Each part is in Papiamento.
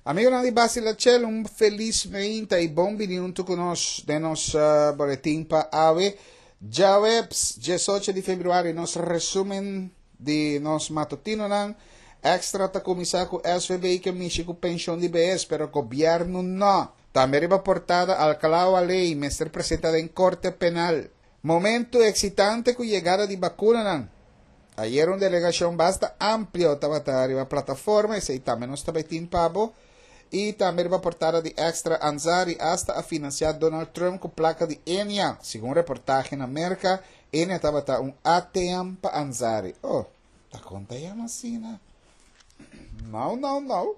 Amigonan di Basilachel, un felis meinta i bon bini huntu ku nos den nos boletin pa awe, djaweps 18 di februari. Nos resumen di nos matutinonan. Extra ta kuminsá ku SVB ke mishi ku penshon di behes, pero gobièrnu no. Tambe riba portada Alcalá Walley mester presenta den korte penal. Momento eksitante ku yegada di bakunanan. Ayer un delegashon basta amplio tabata riba plataforma, esei tambe nos ta bai tin pa bo. I tambe riba portada di Extra Ansari asta a finansiá Donald Trump ku plaka di Enia. Segun reportahe na Merka, Enia tabata un ATM pa Ansari. Oh, ta kon ta yama asina? No, no, no.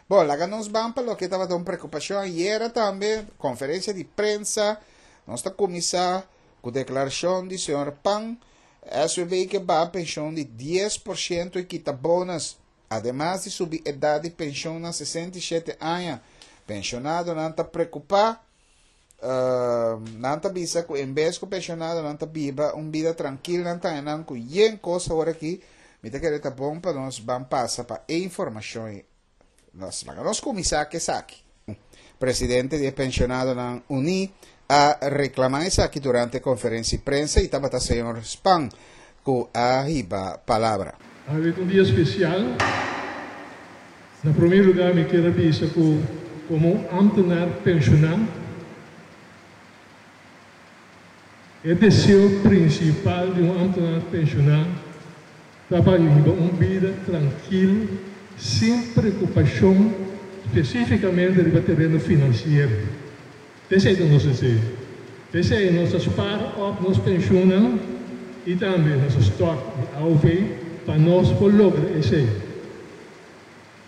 Bo, laga nos ban pa loke tabata un preokupashon ayera tambe, konferensia di prensa. Nos ta kuminsá ku deklarashon di señor Pan, SVB ke baha penshon di 10% i kita bonus, ademas di subi edat di penshon na 67 aña. Penshonadonan ta preokupá, nan ta bisa ku en bes ku penshonadonan ta biba un bida trankil, nan ta haña nan ku yen kos awor aki. Mi ta kere ta bon pa nos ban pasa pa e informashon ei. Nos laga nos kuminsá ku esaki. Presidente di e Penshonadonan Uní a reklamá esaki durante konferensia di prensa i tabata señor Spahn ku a hiba palabra. Awe ta un dia spesial. Na promé lugá mi kier a bisa ku komo un ámtenar penshoná, e deseo prinsipal di un ámtenar penshoná ta pa hiba un bida trankil sin preokupashon spesífikamente riba tereno finansiero. P'esei ta nos deseo. P'esei nos ta spar òp nos penshunnan i tambe nos stòk di AOV pa nos por logra esei.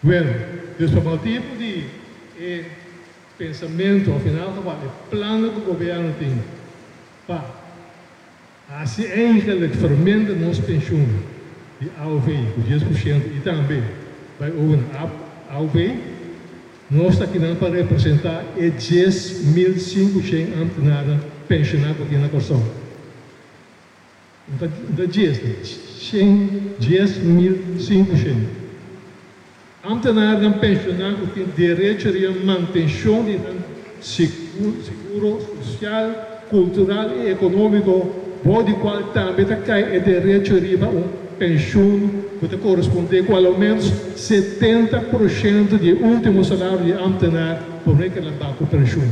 Bueno, dus pa motibu di e pensamentu òf in elk geval e plannan ku gobièrnu tin pa hasi eigenlik verminder nos penshun di AOV ku 10% i tambe bai over na AOV, nos ta kinan pa representá e 10,500 ambtenarnan penshoná ku tin na Kòrsou. No ta no ta djes, shen, 10,500. Ambtenarnan penshoná ku tin derecho riba mantenshon di nan seguro sosial, kultural i ekonómiko, bou di kual tambe ta kai e derecho riba un penshun ku ta korespondé ku aloménos 70% di e último salario di e ámtenar promé ku el a ba ku penshun.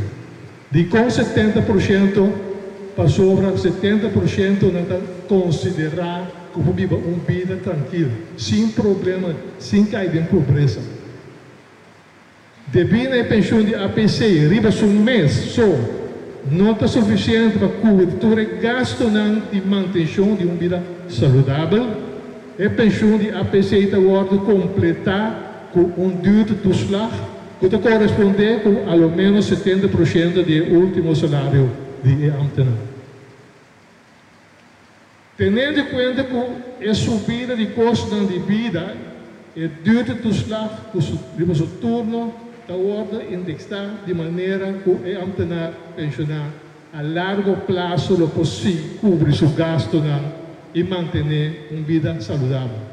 Dikon 70%? Pasobra 70% nan ta konsiderá ku por biba un bida trankil, sin problema, sin kai den pobresa. Debí na e penshun di APC riba su mes so no ta sufisiente pa kubri tur e gastunan di mantenshon di un bida saludabel, e penshun di APC ta wòrdu kompletá ku un duurtoeslag ku ta korespondé ku a lo ménos 70% di e último salario di e ámtenar. Tenendo kuenta ku e subida di kostonan di bida, e duurtoeslag ku su riba su turno ta wòrdu indeksá di manera ku e ámtenar penshoná a largo plaso lo por sigui kubri su gastunan i mantené un bida saludabel.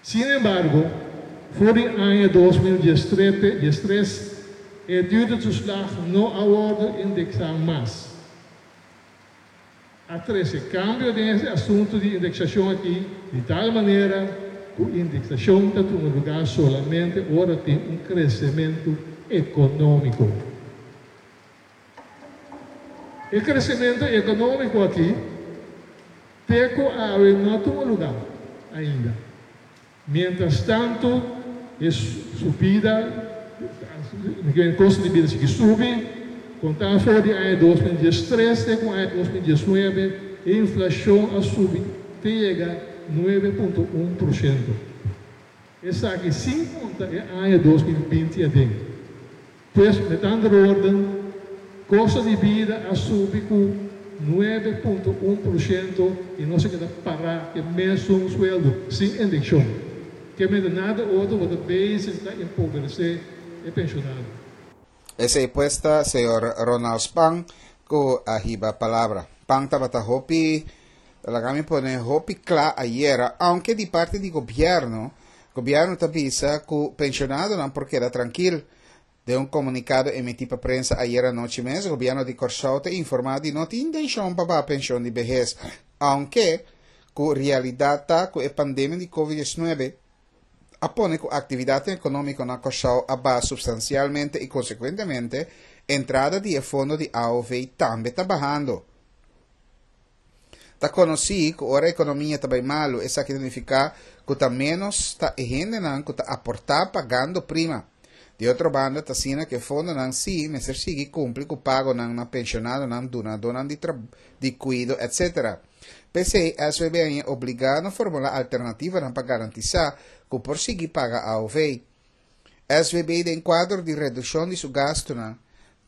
Sin embargo, for di aña 2013 e duurtoeslag no a wòrdu indeksá mas. A trese kambio den e asuntu di indeksashon aki di tal manera ku indeksashon ta tuma lugá solamente ora tin un kresementu ekonómiko. E kresementu ekonómiko aki te ku awe no a tuma lugá ainda. Mientras tantu e subida e kosto di bida sigui subi, kontá for di aña 2013 te ku aña 2019 e inflashon a subi te yega 9.1%. Esaki sin konta e aña 2020 aden. Pues, met andere woorden, kosto di bida a subi ku 9.1% i nos a keda pará ku e mesun sueldo, sin indekshon. Ke mester nada otro bo ta bezig ta empobresé e penshonado. Esei pues ta señor Ronald Spang ku a hiba palabra. Pan tabata hopi, laga mi pone hopi kla ayera, aunke di parti di gobierno. Gobièrnu ta bisa ku penshonadonan por keda trankil. Den un komunikado emití pa prensa ayera anochi mes, gobièrnu di Kòrsou ta informá di no tin intenshon pa baha penshon di behes, aunke ku realidat ta ku e pandemia di Covid 19 a pone ku aktividatnan ekonómiko na Kòrsou a baha supstansialmente i konsekuentemente entrada di e fondo di aov tambe ta bahando. Ta konosí ku ora ekonomia ta bai malu esaki ta nifiká ku ta ménos ta e hendenan ku ta aportá pagando prima. Di otro banda ta asina ku e fondonan sí mester sigui kumpli ku pagonan na penshonadonan, dunadónan di di kuido etc. P'esei SVB a ña obligá na formulá alternativanan pa garantisá ku por sigui paga aov. SVB den kuadro di redukshon di su gastunan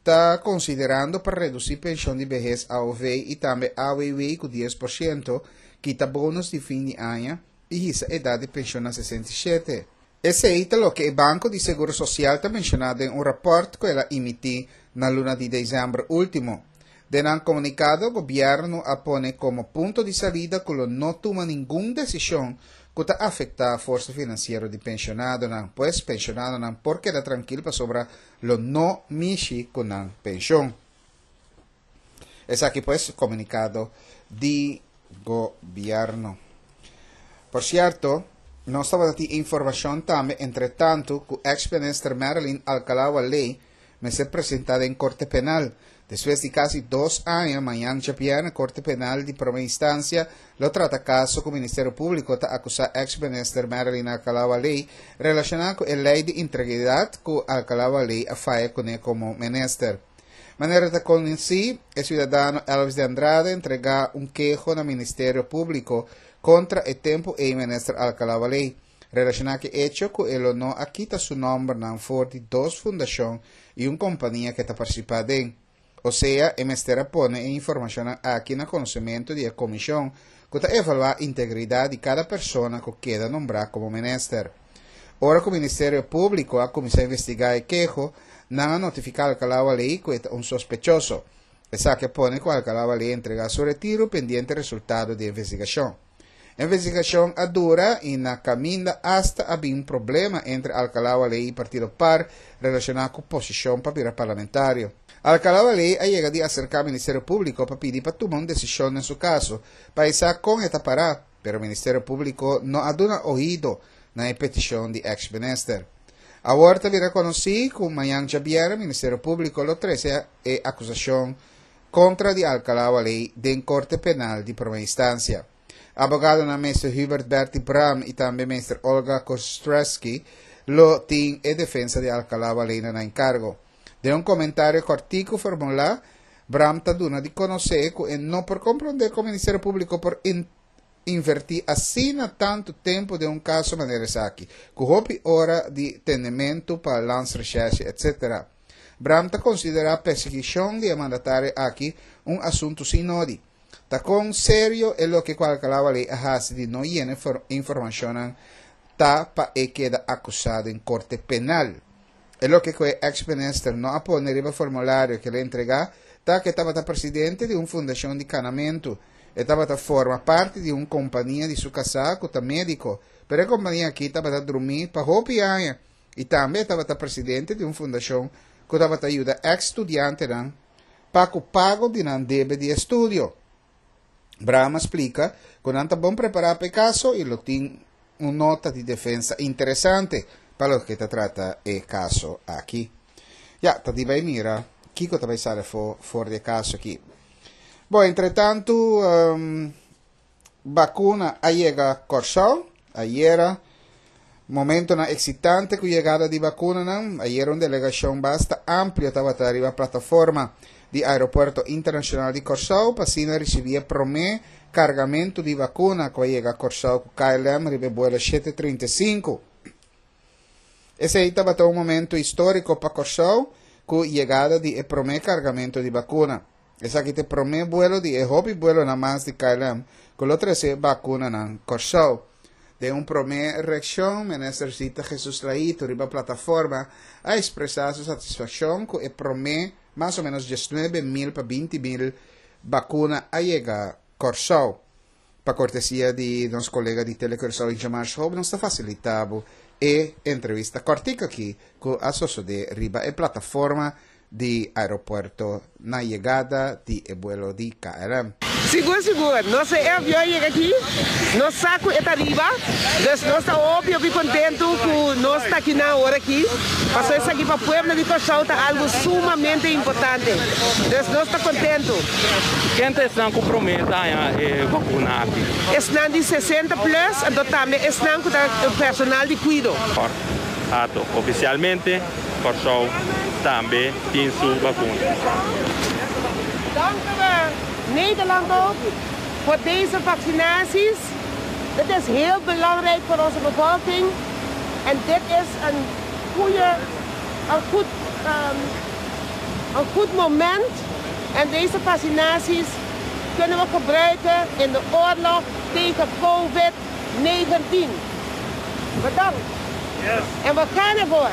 ta konsiderando pa redusí penshon di behes aov i tambe AWW ku 10%, kita bonus di fin di aña i hisa edat di penshon na 67. Esei ta loke e Banko di Seguro Sosial ta menshoná den un rapòrt ku el a imití na luna di desèmber último. Den nan komunikado gobièrnu a pone komo punto di salida ku lo no tuma ningun desishon ku ta afektá forsa finansiero di penshonadonan. Pues penshonadonan por keda trankil pasobra lo no mishi ku nan penshon. Esaki pues komunikado di gobièrnu. Por sierto, nos tabata tin informashon tambe entretantu ku eks minister Marilyn Alcalá-Wallé mester presentá den Korte Penal. Despues di kasi dos aña, mañan djabièrnè Korte Penal di Promé Instansia lo trata kaso ku Ministerio Públiko ta akusá eks minister Marilyn Alcalá-Wallé relashoná ku e lei di integridat ku Alcalá-Wallé a faya kuné komo minister. Manera ta konosí, e siudadano Elvis de Andrade a entregá un keho na Ministerio Públiko kontra e tempu ei minister Alcalá-Wallé. Relashoná ku e echo ku e lo no a kita su nòmbernan for di dos fundashon i un kompania ku e ta partisipá aden. Osea, e mester a pone e informashonnan aki na konosementu di e komishon ku ta evaluá integridat di kada persona ku keda nombrá komo minister. Ora ku Ministerio Públiko a kuminsá investigá e keho, nan a notifiká Alcalá Waley ku e ta un sospechoso. Esaki a pone ku Alcalá Waley entregá su retiru pendiente resultado di e investigashon. Investigashon a dura i na kaminda asta a bin problema entre Alcalá Waley i partido par relashoná ku posishon pa bira parlamentario. Alcalá Waley a yega di aserká Ministerio Públiko pa pidi pa tuma un desishon den su kaso pa e sa kon e ta pará, pero Ministerio Públiko no a duna oido na e petishon di eks minister. Awor ta bira konosí ku mañan djabièrnè Ministerio Públiko lo trese e akusashon kontra di Alcalá Waley den Korte Penal di Prome Instansia. Abogadonan Meester Hubert Bertie Braam i tambe Meester Olga Kostreski lo tin e defensa di Alcalá Waley na nan enkargo. Den un komentario kòrtiku formulá, Braam ta duna di konosé ku e no por komprondé kon Ministerio Públiko por invertí asina tantu tempu den un kaso manera esaki, ku hopi ora di tendementu pa Landsrecherche etc. Braam ta konsiderá persiguishon di e mandatario aki un asuntu sin nodi. Ta kon serio e loke ku Alcalá Waley a hasi di no yena informashonnan ta pa e keda akusá den korte penal. E loke ku e eks minister no a pone riba formulario ku el a entregá ta ku e tabata presidente di un fundashon di kanamentu. E tabata forma parti di un kompania di su kasá ku ta médiko, pero e kompania aki tabata drumí pa hopi aña i tambe e tabata presidente di un fundashon ku tabata yuda eks studiantenan pa ku pago di nan debe di estudio. Braam a splika ku nan ta bon prepará pa e kaso i lo tin un nota di defensa interesante pa loke ta trata e kaso aki. Ya, ta di bai mira kiko ta bai sali afó for di e kaso aki. Bon, entretantu bakuna a yega Kòrsou ayera. Momentonan eksitante ku yegada di bakunanan. Ayera un delegashon basta amplio tabata riba plataforma di Aeropuerto Internashonal di Kòrsou pa asina risibí e promé kargamentu di bakuna ku a yega Kòrsou ku KLM riba e buelo 735. Esei tabata un momento históriko pa Kòrsou ku yegada di e promé kargamentu di bakuna. Esaki ta e promé buelo di e hopi buelonan mas di KLM ku lo trese bakunanan Kòrsou. Den un promé reakshon, Minister Zita Jesus-Leito riba plataforma a ekspresá su satisfakshon ku e promé mas o ménos 19 mil pa 20 mil bakuna a yega Kòrsou. Pa kortesia di nos kolega di Telecuraçao Ingemar Schoop nos ta fasilitá bo e entrevista kòrtiku aki ku a sosodé riba e plataforma di aeropuerto na yegada di e buelo di KLM. Sigur sigur, nos e avion a yega aki, nos sa ku e ta riba, dus nos ta hopi hopi kontentu ku nos ta aki nan awor aki, pasobra esaki pa pueblo di Kòrsou ta algu sumamente importante, dus nos ta kontentu. Ken ta esnan ku promé ta haña e vakuna aki? Esnan di 60 plus, anto tambe esnan ku ta personal di kuido. Ato, ofisialmente Kòrsou tambe tin su bakuna. Danken we Nederland ook voor deze vaccinaties. Dit is heel belangrijk voor onze bevolking en dit is een goede, een goed, een goed moment en deze vaccinaties kunnen we gebruiken in de oorlog tegen covid 19. Bedankt. En we gaan ervoor.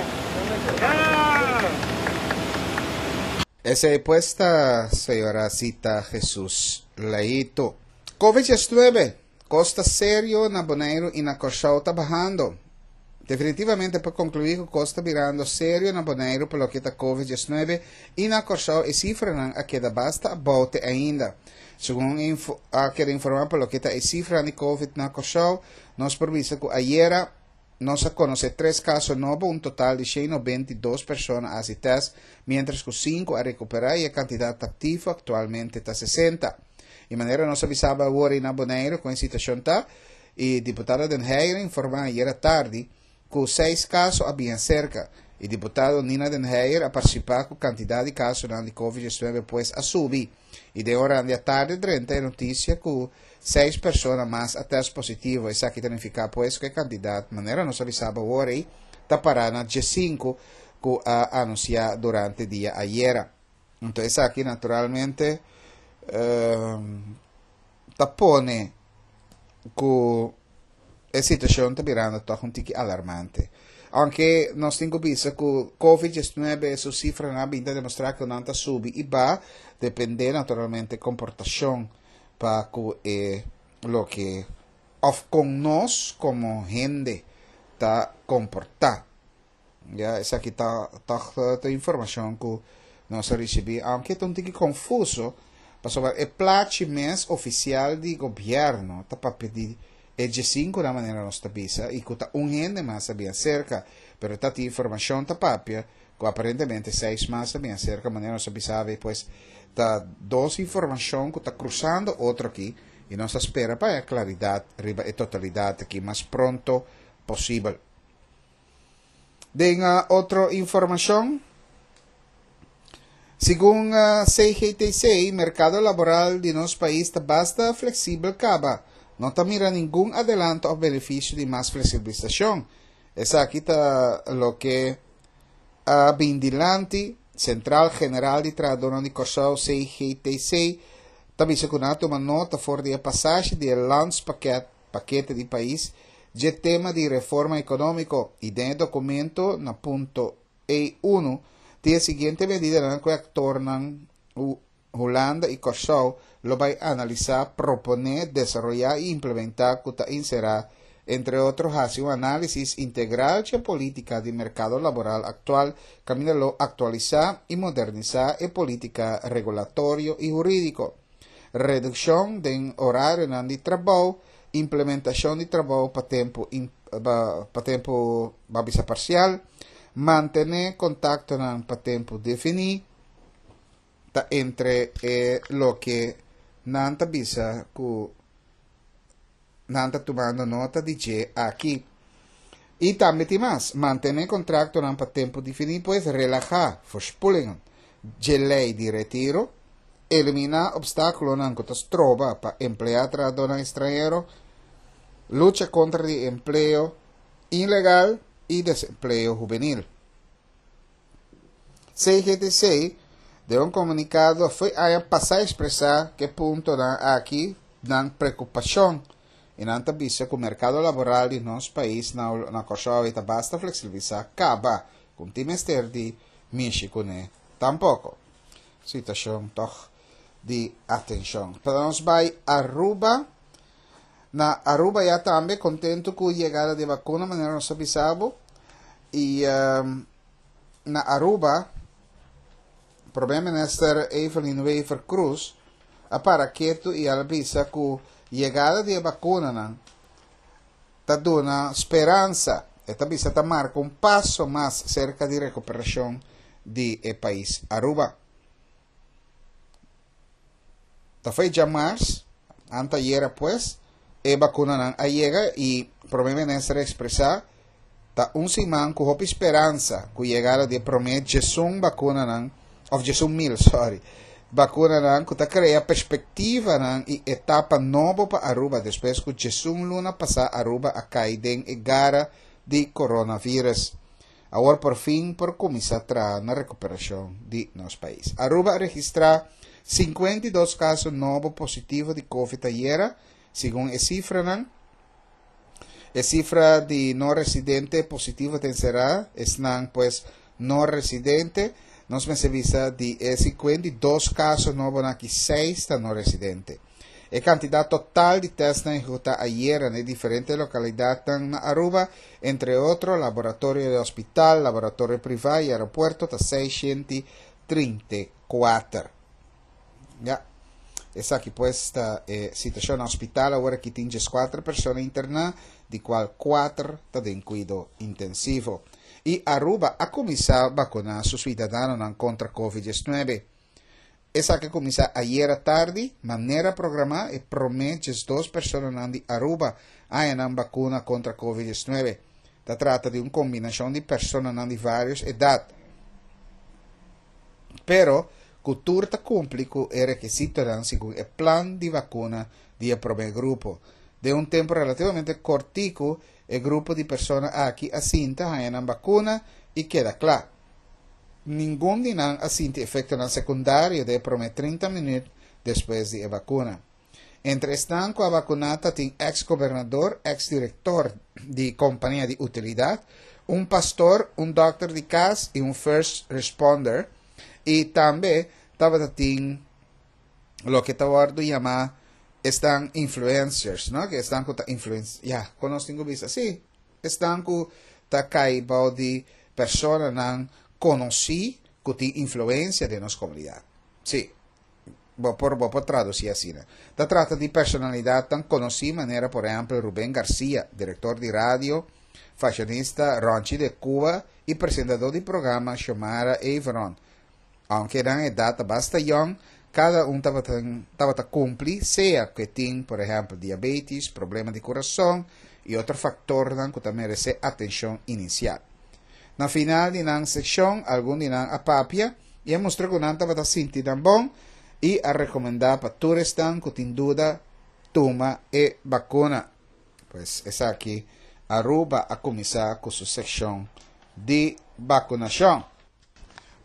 Esei pues ta señora Zita Jesus Leito. Covid 19, Kos ta serio na Boneiru i na Kòrsou ta bahando. Definitivamente por konkluí ku kos ta birando serio na Boneiru pa loke ta Covid 19 i na Kòrsou e sifranan a keda basta abou te ainda. Segun a keda informá pa loke ta e sifranan di Covid na Kòrsou, nos por bisa ku ayera nos a konosé tres kaso nobo, un total di 192 persona a hasi tèst, miéntras ku sinku a rekuperá i e kantidat aktivo aktualmente ta 60. I manera nos a bisaba awor ei na Boneiru kon e situashon ta, i diputado Den Heyer a informá ayera tardi ku seis kaso a biña serka, i diputado Nina Den Heyer a partisipá ku kantidat di kasonan di Covid 19 pues a subi. I den oran di atardi drenta e notisia ku seis persona mas a tèst positivo. Esaki ta nifiká pues ku e kantidat, manera nos a bisaba awor ei, ta pará na diesinku ku a anunsiá durante dia ayera. Anto esaki naturalmente ta pone ku e situashon ta birando tòg un tiki alarmante. Aunke nos tin ku bisa ku Covid 19 su sifranan a bin ta demostrá ku nan ta subi i ba, dependé naturalmente komportashon pa ku e loke òf kon nos komo hende ta komportá. Ya, esaki ta tòg ta informashon ku nos a risibí, aunke ta un tiki konfuso, pasobra e plachi mes ofisial di gobièrnu ta papia di e diesinku na manera nos ta bisa i ku ta un hende mas a bin aserka, pero ta tin informashon ta papia ku aparentemente seis mas a bin aserka manera nos a bisa awe, pues ta dos informashon ku ta krusando otro aki i nos ta spera pa haya klaridat riba e totalidat aki mas pronto posibel. Den otro informacion, segun CGTC, mercado laboral di nos pais ta basta flexibel caba. No ta mira ningun adelanto of beneficio di mas flexibilisacion. Esaki ta loke a bin dilanti. Central General di Trahadornan di Corsou, CGTC, ta bisa cu nan a tuma nota for di e pasashi di e landspakket Pakete di Pais, dje tema di reforma ekonómiko i den e dokumento na punto E unu tin e siguiente medidanan ku e aktornan Hulanda i Kòrsou lo bai analisá, proponé, desaroyá i implementá ku ta enserá, entre otro hasi un análisis integral dje polítika di merkado laboral aktual kaminda lo aktualisá i modernisá e polítika regulatorio i hurídiko. Redukshon den orarionan di trabou, implementashon di trabou pa tempu pa tempu ba bisa parsial, mantené kontaktonan pa tempu definí, ta entre e loke nan ta bisa ku nan ta tumando nota di dje aki. I tambe tin mas, mantené kontraktonan pa tempu definí, pues relahá, verspoelingen, dje lei di retiro, eliminá opstákulonan ku ta stroba pa empleá trahadónan estranhero, lucha kontra di empleo ilegal i desempleo hubenil. CGTC den un komunikado fo'i aña pasá ekspresá ku e puntonan aki nan preokupashon i nan ta bisa ku merkado laboral di nos pais na na Kòrsou ta basta fleksibilisá kaba ku no tin mester di mishi kuné tampoko. Situashon tòg di atenshon. Pa nos bai Aruba. Na Aruba ya tambe contento cu yegada di vacuna manera nos a bisa bo y na Aruba Prome Minister Evelyn Wever Croes a para ketu y al bisa cu yegada di e vacunanan ta duna speransa. E ta bisa ta marca un paso mas cerca di recuperacion di e pais Aruba. Ta foi djamars, antayera pues, e bakunanan a yega i Prome Minister a ekspresá ta un siman ku hopi speransa ku yegada di e prome djesun bakunanan, òf 11.000, sòri, bakunanan ku ta krea perspektivanan i etapa nobo pa Aruba despues ku 11 luna pasá Aruba a kai den e gara di coronavirus. Awor por fin por cuminsa traha na recuperacion di nos pais. Aruba a registra 52 caso nobo positivo di covid ayera, segun e cifranan. E cifra di no residente positivo ta encera esnan pues no residente. Nos mester bisa di e 52 caso nobonan aki 6 ta no residente. E kantidat total di tèstnan ehekutá ayera na e diferente lokalidatnan na Aruba, entre otro laboratorio di hospital, laboratorio privá i aeropuerto ta 634. Ya, esaki pues ta e situashon na hospital. Awor aki tin 14 persona interná, di kual kuater ta den kuido intensivo. I Aruba a kuminsá bakuná su suidadanonan kontra Covid 19. Esaki a kuminsá ayera tardi, manera programá e promé 12 personanan di Aruba a haña nan bakuna kontra Covid 19. Ta trata di un kombinashon di personanan di vários edat, pero ku tur ta kumpli ku e rekisitonan segun e plan di bakuna di e promé grupo. Den un tempu relativamente kortiku e grupo di persona aki a sinta haña nan bakuna i keda kla. Ningun di nan a sinti efektonan sekundario den e promé 30 minüt despues di e bakuna. Entre esnan ku a bakuná ta tin eks gobernador, eks direktor di kompania di utilidat, un pastor, un dòkter di kas i un first responder, i tambe tabata tin loke ta wòrdu yamá esnan influencers, no? Ke esnan ku ta influen-, ya, kon nos tin ku bisa? Sí, Esnan ku ta kai bou di personanan konosí ku tin influensia den nos komunidat. Sí, bo por bo por tradusí asina. Ta trata di personalidatnan konosí manera por ehèmpel Rubén Garcia, direktor di radio, fashionista Ronchi de Cuba i presentadó di programa Xiomara Everon. Aunke nan edat ta basta yòn, kada un tabata kumpli, sea ku e tin, por ehèmpel, diabetis, problema di kurason i otro faktornan ku ta meresé atenshon inisial. Na final di nan sekshon, algun di nan a papia i a mustra ku nan tabata sinti nan bon i a rekomendá pa tur esnan ku tin duda tuma e bakuna. Pues esaki Aruba a kuminsá ku su sekshon di bakunashon.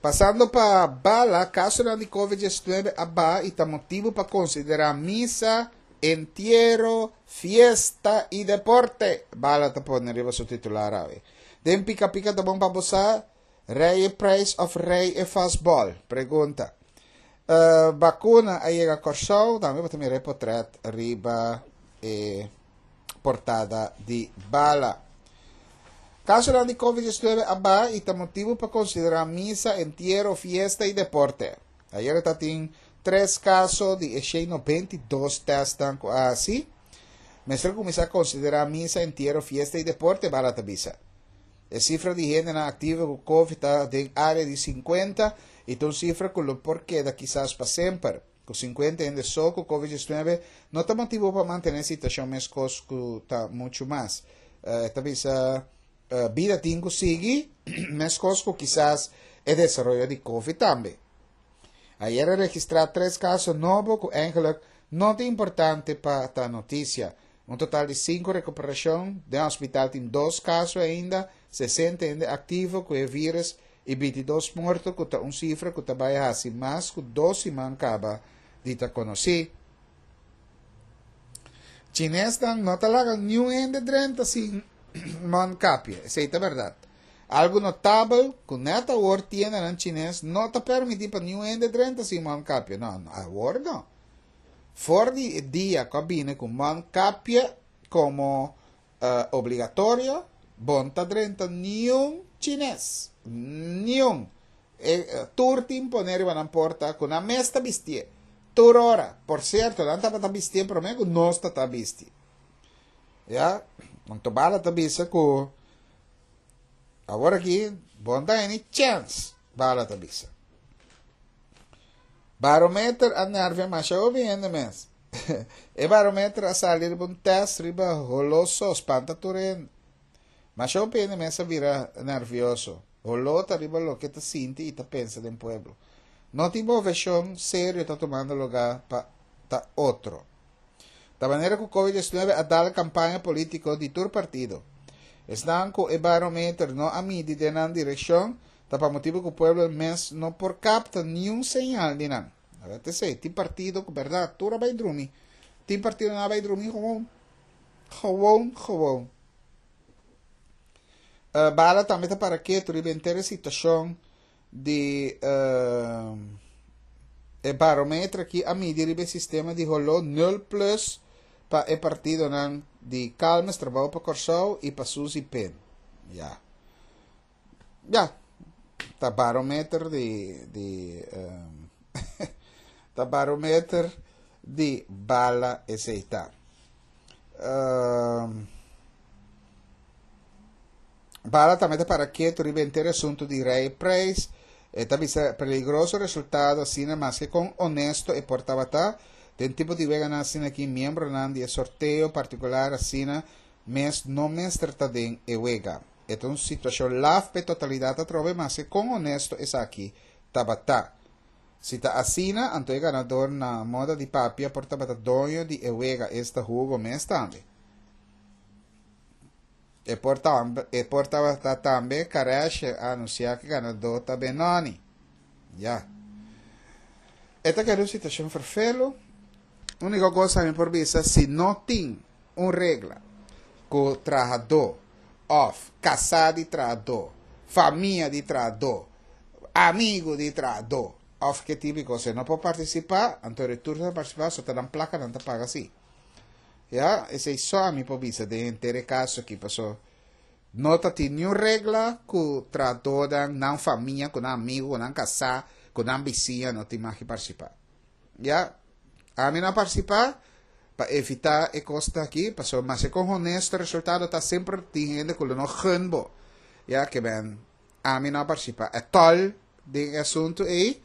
Pasando pa bala, kasonan di Covid 19 a baha i ta motibu pa konsiderá misa, entiero, fiesta i deporte, Bala ta pone riba su titular awe. Den Pika Pika ta bon pa bo sa, Rei e prijs of rei e fastball? Pregunta. Bakuna a yega Kòrsou, tambe bo ta mira e potrèt riba e portada di Bala. Kasonan di Covid 19 a baha i ta motibu pa konsiderá misa, entiero, fiesta i deporte. Ayera ta tin tres kaso di e 192 tèstnan ku a hasi. Mester kuminsá konsiderá misa, entiero, fiesta i deporte, Bala ta bisa. E sifra di hendenan aktivo ku Covid ta den área di 50 i ta un sifra ku lo por keda kisas pa semper. Ku 50 hende so ku Covid 19 no ta motibu pa mantené situashon meskos ku ta muchu mas. E ta bisa bida tin ku sigui meskos ku kisas e desaroyo di Covid tambe. Ayer a registrá tres kaso nobo ku eigenlijk no ta importante pa ta notisia. Un total di sinku rekuperashon, den hospital tin dos kaso ainda, 60 hende aktivo ku e vírus i 22 morto ku ta un sifra ku ta bai hasi mas ku dos siman kaba di ta konosí. Chinesnan no ta laga niun hende drenta sin mondkapje, esei ta bèrdat. Algu notabel ku nèt awor tiendanan chines no ta permití pa niun hende drenta sin mondkapje. No, awor no. For di e dia ku a bini ku mondkapje. komo obligatorio, bo no ta drenta niun chines. Niun. E, tur tin pone riba nan porta ku nan mes ta bistié. Tur ora. Por sierto, nan tabata bistié promé ku nos ta ta bisti. Ya, anto Bala ta bisa ku awor aki bo no ta haña ni chèns, Bala ta bisa. Barometer a nervia masha hopi hende mes. E barometer a sali riba un test riba holó so, spanta tur hende. Masha hopi hende mes a bira nervioso. Holó ta riba loke ta sinti i ta pensa den pueblo. No tin moveshon serio ta tumando lugá pa ta otro. Ta manera ku Covid 19 a dal kampaña polítiko di tur partido. Esnan ku e barometer no a midi den nan direkshon ta pa motibu ku pueblo mes no por kapta niun señal di nan. Awor ta esei, tin partido ku bèrdat tur a bai drumi. Tin partido nan a bai drumi gewoon. Gewoon, gewoon. Uh, Bala tambe ta para ketu riba henter e situashon di uh, e barometer aki a midi riba e sistema di holó nul plus pa e partidonan di Calmes, Trabou pa Kòrsou i pa Suzy Pin. Ja. Ja, ta barometer di di um, ta barometer di bala esei ta. Um, bala tambe ta para ketu riba henter asuntu di Rey Prijs. E ta bisa peligroso resultado asina maske kon honesto e por tabata. Den tipo di weganan asina aki miembronan di e sorteo partikular asina mes no mester ta den e wega. E ta un situashon laf p'e totalidat atrobe maske kon honesto esaki tabata. Si ta asina, anto e ganador na moda di papia por tabata doño di e wega, esta Hugo mes tambe. E por e por tabata tambe Kareshe a anunsiá ku e ganadó ta Benoni. Ya. E ta keda un situashon ferfelu. Úniko kos ami por bisa, si no tin un regla ku trahadó òf kasá di trahadó, famia di trahadó, amigu di trahadó òf ke tipo di kos no por partisipá, anto retur ta partisipá so ta nan plaka nan ta paga si. Ya, esei so ami por bisa den henter e kaso aki paso no ta tin niun regla ku trahadónan, nan famia, ku nan amigu, ku nan kasá, ku nan bisiña no tin mag di partisipá. Ya, ami no a partisipá pa evitá e kosnan aki, pasobra maske kon honesto e resultado ta semper tin hende ku lo no gun bo. Ya, ke men ami no a partisipá ètòl den e asuntu ei,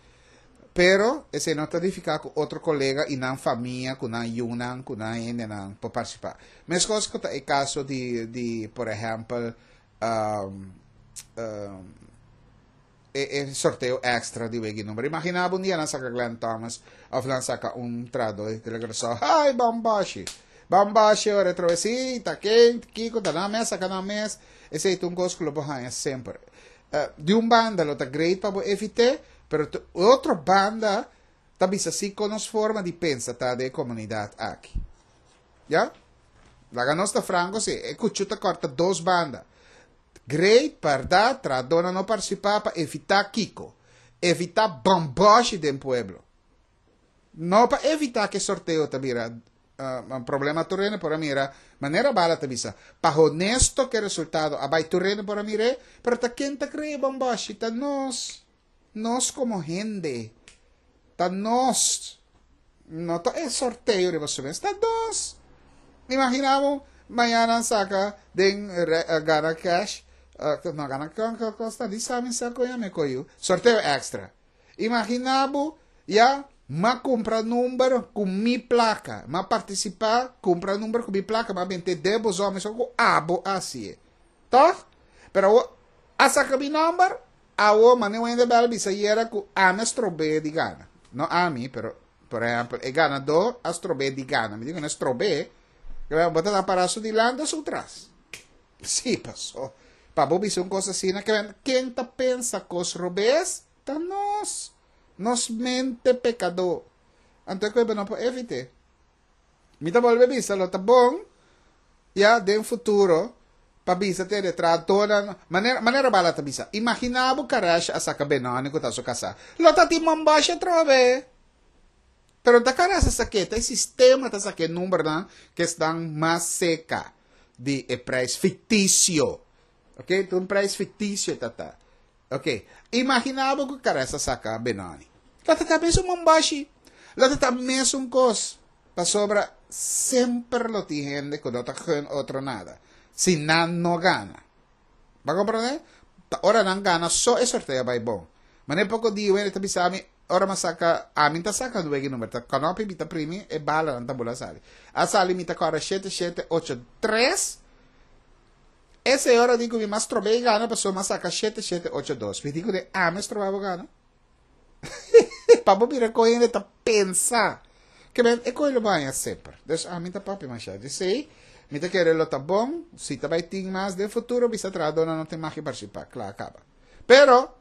pero esei no ta nifiká ku otro kolega i nan famia, ku nan yunan, ku nan hendenan por partisipá. Meskos ku ta e kaso di, di por ehèmpel, e e sorteo extra di wegi number. Imagina bo un dia nan saka Glenn Thomas of nan saka un trahador di Telegraso. Hai, bambashi! Bambashi ora otra vez. Sí, ta ken, kiko, ta nan mes, saka nan mes. Esei ta un kos ku lo bo haña semper. Uh, di un banda lo ta great pa bo evit'é, pero otro banda ta bisa si kon nos forma di pensa ta den e komunidat aki. Ya? Laga nos ta franko si, e kuchu ta kòrta dos banda. Great, berdad, trahadornan no participá pa evitá kiko? Evitá bamboshi den pueblo. No pa evitá ke sorteo ta bira uh, problema tur hende por a mira, manera Bala ta bisa, pa honesto ke resultado a bai tur hende por a mir'é, pero ta ken ta krea bamboshi? Ta nos. Nos komo hende. Ta nos. No ta e sorteo riba su mes, ta nos. Imagina bo mañana saka den gana cash, no gana kos ta di sa mi sa koña mi koyu, sorteo extra. Imagina bo ya m'a kumpra number ku mi plaka, m'a partisipa kumpra number ku mi plaka, m'a bente den bo zon mesun ku abo a hasié. Tòg? Pero awor a saka mi number, Awo mane wende bel bisa yera ku ami a strob'é di gana. No ami, pero por ehèmpel e ganadó a strob'é di gana. Mi di ku no strob'é, bo ta pará su dilanti o su tras. Sí, paso pa bo bisa un kos asina ke ken ta pensa kos robes? Ta nos. Nos mente pekadó. Anto e ku bo no por evit'é. Mi ta bolbe bisa lo ta bon ya den futuro pa bisa te de trahadornan manera manera Bala ta bisa imagina bo Karesh a saka Benoni ku ta su kasá lo ta tin momboshi atrobe. Pero ta karasa sak'é, ta e sistema ta sak'é numbernan ku esnan mas seka di e prijs fiktisio. Ok, ta un prijs fiktisio ta ta. Ok, imaginá bo ku karasa saka Benoni. Lo ta ta mesun mombashi, lo ta ta mesun kos, pasobra semper lo tin hende ku no ta gun otro nada, si nan no gana. Bo a komprondé? Ta ora nan gana so e sorteo a bai bon. Manera poko di wende ta bisa mi, ora mi a saka, ami ta saka nuege number, ta kanopi mi ta primi, e balanan ta bula sali. A sali mi ta kòrda shete shete ocho tres, e señora di ku mi mas trob'é i gana pasobra mi a saka shete shete ocho dos. Mi di kuné, ami a stroba bo gana? Pa bo mira kon hende ta pensa. Ke men e koe lo baña semper. Dus ami ta papia masha. Djesei, mi ta kere lo ta bon, si ta bai tin mas den futuro bisa trahadónan no tin mag partisipá. Kla kaba. Pero,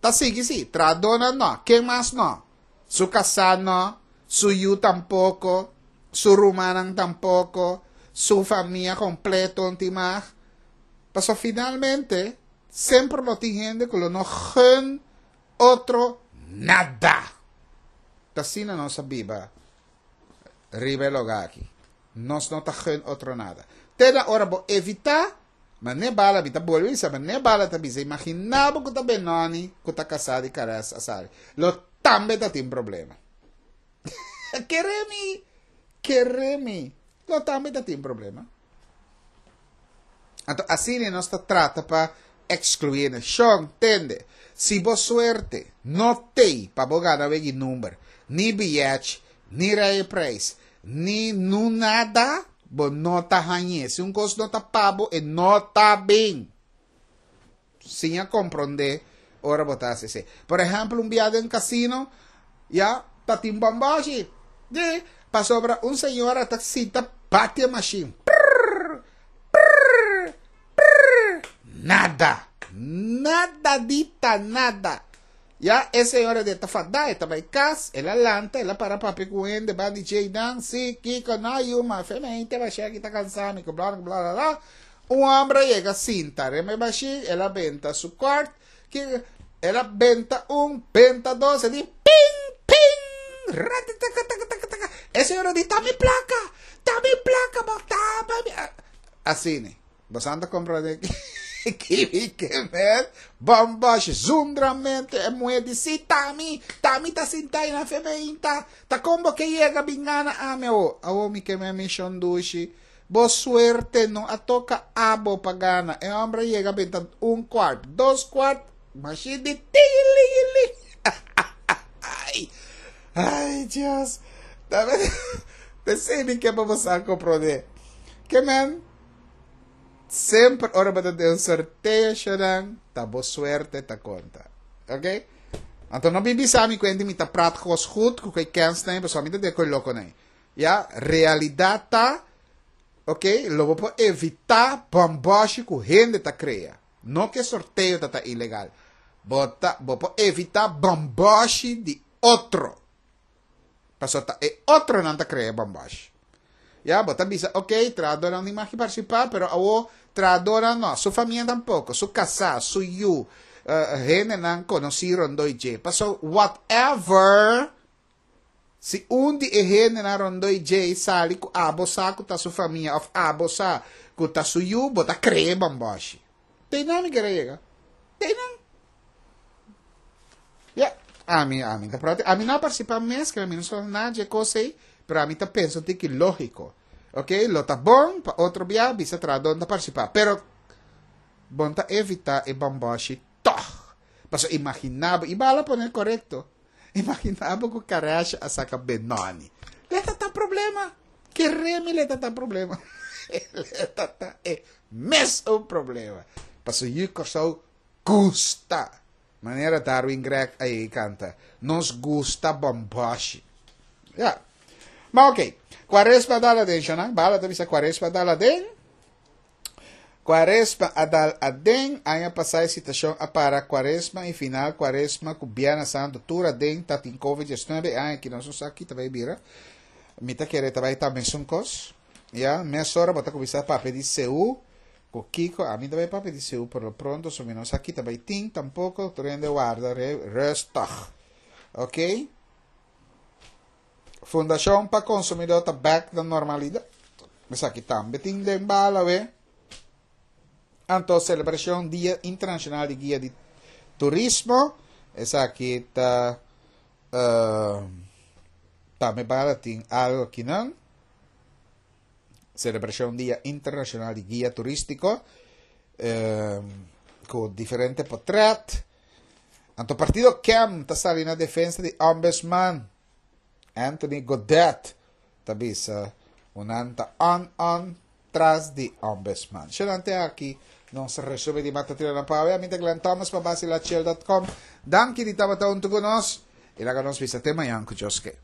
ta sigui si, trahadónan no. Ken mas no? Su kasá no, su yu tampoko, su rumannan tampoko, su famia kompleto no tin mag. Pasobra finalmente, Semper lo tin hende ku lo no gun otro nada. Ta asina nos a biba riba e lugá aki. Nos no ta gun otro nada. Te na ora bo evitá, ma ne bala mi ta bolbe bisa, ma ne bala ta bisa, imaginá bo ku ta Benoni ku ta kasá di Kares a sali. Lo tambe ta tin problema. Kere mi, kere mi. Lo tambe ta tin problema. Anto asina nos ta trata pa excluí hende. Shon, tende, si bo suerte no tei pa bo gana wegi number, ni biyèch, ni rijprijs, ni nu nada, bo no ta hañ'é. Si un kos no ta pa bo, e no ta bin. Siña komprondé ora bo ta hasi esei. Por ehèmpel, un bia den kasino, ya, ta tin bòmbòshi. Di, pasobra un señora ta sinta bati e mashin. Prrr, prrr, prrr. Nada. Nada dita nada. Ya, e señora di ta fadá, e ta bai kas, el a lanta, el a para papia ku hende, ban di djei nan, si, kiko, no, yu, ma fe mente bashé aki ta kansá mi, ku bla, bla, bla, bla. Un homber a yega sinta riba e mashin, el a benta su kort, ki el a benta un, benta dos, e di ping, ping, ratatatatata. E señora di, ta mi plaka, ta mi plaka, bo ta mi. Asina, bo sa ta comprende ki mi ke men? Bombosh, zundramente, e muher di, si, ta mi, ta mi ta sinta ei na femein ta, ta kon bo ke yega bin gana ami awo? Awo mi ke men mi shondushi. Bo suerte no a toca abo pa gana. E homber a yega benta un kwart, dos kwart, mashin di tingilingiling. Ay, ay Dios. Pesey mi ke pa bo sa comprende. Ke men, semper ora bo ta den un sorteo shonan, ta bo suerte ta conta. Ok? Anto no bin bisa mi cuenti mi ta praat gos goed cu e kens nan, pasobra mi ta den cu e loco nan. Ya, realidad ta, ok, lo bo por evita bomboshi cu hende ta crea. No cu e sorteo ta ta ilegal. Bo ta, bo por evita bomboshi di otro. Pasobra ta e otronan ta crea e bomboshi. Ya, bo ta bisa, ok, trahadornan tin mag di participa, pero awo trahadornan no, su famia tampoco, su casá, su yu, hendenan conoci rondoi dje. Pasobra whatever Si un di e hendenan rondó i djei sali ku abo sa ku ta su famia òf abo sa ku ta su yu, bo ta kree bòmbòshi. Te einan mi kere yega. Te einan. Ya, ami, ami ta prati. Ami no a partisipá mes, kere mi no sa nada dje kos ei, pero ami ta pensa un tiki lógiko. Oke, lo ta bon pa otro bia bisa trahadó no ta partisipá, pero bon ta evitá e bòmbòshi tòg. Pasobra imaginá bo, i bala pone korekto. Imagina bo ku Karash a saka Benoni. Le ta ta problema. Kere mi le ta ta problema. Le ta ta e mes un problema. Paso yu Kòrsou gusta. Manera Darwin Gregg a yega kanta. Nos gusta bòmbòshi. Ya. Ma oké. Kuaresma dal aden, shonnan. Bala ta bisa kuaresma dal aden. Cuaresma a dal aden, aña pasá e situashon a para Cuaresma i final Cuaresma ku Bierna Santu tur aden ta tin Covid 19 e aña aki nos no sa ki ta bai bira. Mi ta kere ta bai ta mesun kos. Ya, mesora bo ta kuminsá papia di Seú ku kiko, ami ta bai papia di Seú por lo pronto so mi no sa ki ta bai tin tampoko, tur hende warda rustig. Oké. Fundashon pa Konsumidó ta bèk na normalidat. Esaki tambe tin den bala we. Anto selebrashon Dia Internashonal di Guia di Turismo. Esaki ta tambe bala tin algo akinan. Selebrashon Dia Internashonal di Guia Turístiko ku diferente potrèt. Anto partido KEM ta sali na defensa di Ombudsman Anthony Godett ta bisa ku nan ta on on tras di Ombudsman. Shenante aki nos resumen di Matatina na Pawe. Ami ta Glenn Thomas pa Basilachel dot com. Danki di tabata huntu ku nos i laga nos bisa te mañan ku Dios ke.